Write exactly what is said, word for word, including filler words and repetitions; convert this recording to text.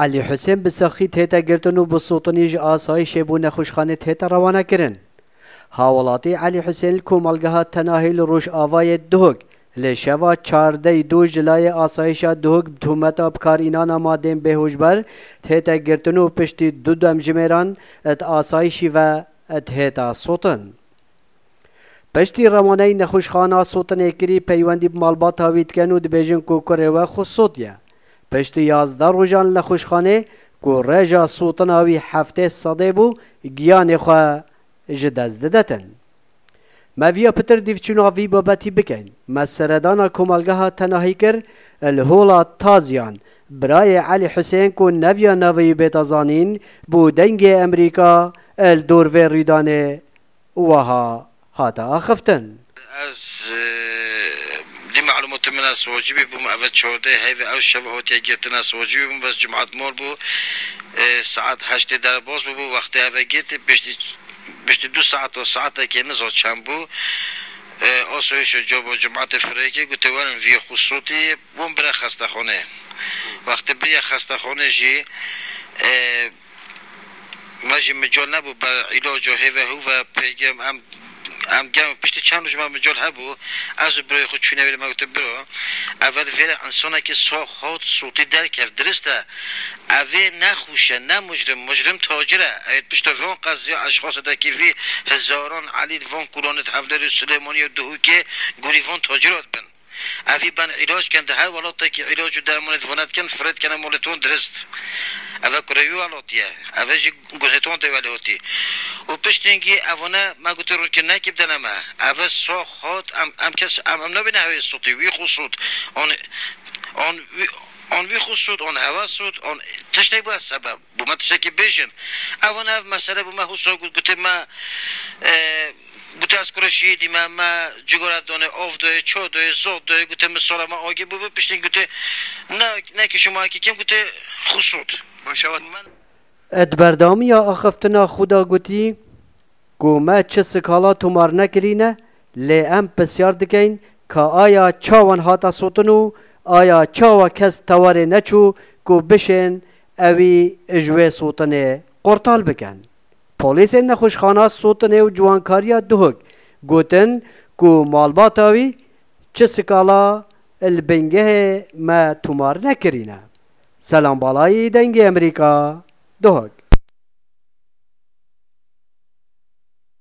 Elî Husên bi saxî tête girtin û bi sotinî ji asayîşê bo nexweşxanê tête rewanekirin. Hawelatî Elî Husên li komelgeha Tenahî li rojavayê Duhok li şeva çardeyê dû ji layê asayîşa Duhok bi tûmeta bikarînana madên bêhojber tête girtin û piştî du demjimêran di asayîşî ve dihête sotin. Piştî rewaneyî nexweşxana sotinê kirî, peywendî bi malbata wî dikin û dibêjin ku kurê we xwe sotiye. Piştî yazdeh rojan li nexweşxanê ku rêja sotina wî heftê sedê bû, giyanê xwe ji dest didetin. Me viya pitir dîvçûna vî babetî bikin. Me seredana komelgeha Tenahî kir, li hola Taziyan, birayê Elî Husên ku neviya navê wî bête zanîn, bo Dengê Emerîka li dor vê rûdanê wiha hate axiftin. Ez, e, dî malûmatê min ez wacibî bûm, eve çardeh heyve ew şev hatiye girtin, ez wacibî bûm, bes cumat mor bû, e, saet heştê derbas bûbû, wextê eve girtî, piştî, piştî du saet û saetekê niza çend bû, e, asayîşa cabo cumatê firêkê gote werin viyê xwe sotî, bûm bire xestexanê. Wextê biriye xestexanê jî, e, me jî mical nebû ber îlaca hêve hûve pêgem em, em gem piştî çend roj me mical hebû, ez û birayê xwe çûne wê me gote biro, eve li vêre însanekî sax hat sotî derkev, dirist e. Evê nexweş e, ne mujrim, mujrim tacir e. Ew pişta van qeziya eşxasetekî vî hezaran elî li van kolanê di Hevlêrê û Silêmaniyê û Duhokê gorî van tacira dibin. Evî ben îlac ken di her welatekî îlac û dermanê di vana dikin, firê dikene molê ton dirist. Eve kurê wî welatî ye. Eve jî gunê ton de welê hotî. Û piştîngî evane me gotî rûnkirnekî bidene me. Eve sax hat, em, em kes, em, em nabîne hewê sotî, wî xwe sot. An, an, wî, an wî xwe sot, an hewa sot, an tiştek bû sebeb. Bû me tiştekî bêjin. Evan ev mesele bû me husa got, gotê me, e, gotê ez kura şehîdî me, me cigara dane, av daye, ça daye, zot daye, gotê min sala me agir bû, piştî gotê ne, ne ki şima ki kim, gotê xusut. Maşallah. Di berdewamiya axiftina xwe de gotî ku me çi skala tomar nekirîne, lê em pisyar dikeyn ka aya çawan hate sotin û aya çawa kes tewarê neçû ku bişên ewî ji wê sotinê qortal bikin. Polîsên nexweşxana sotinê û ciwankariya Duhok gotin ku malbata wî çi skala li bingehê me tomar nekirîne. Selam Balayî, Dengê Emerîka, Duhok.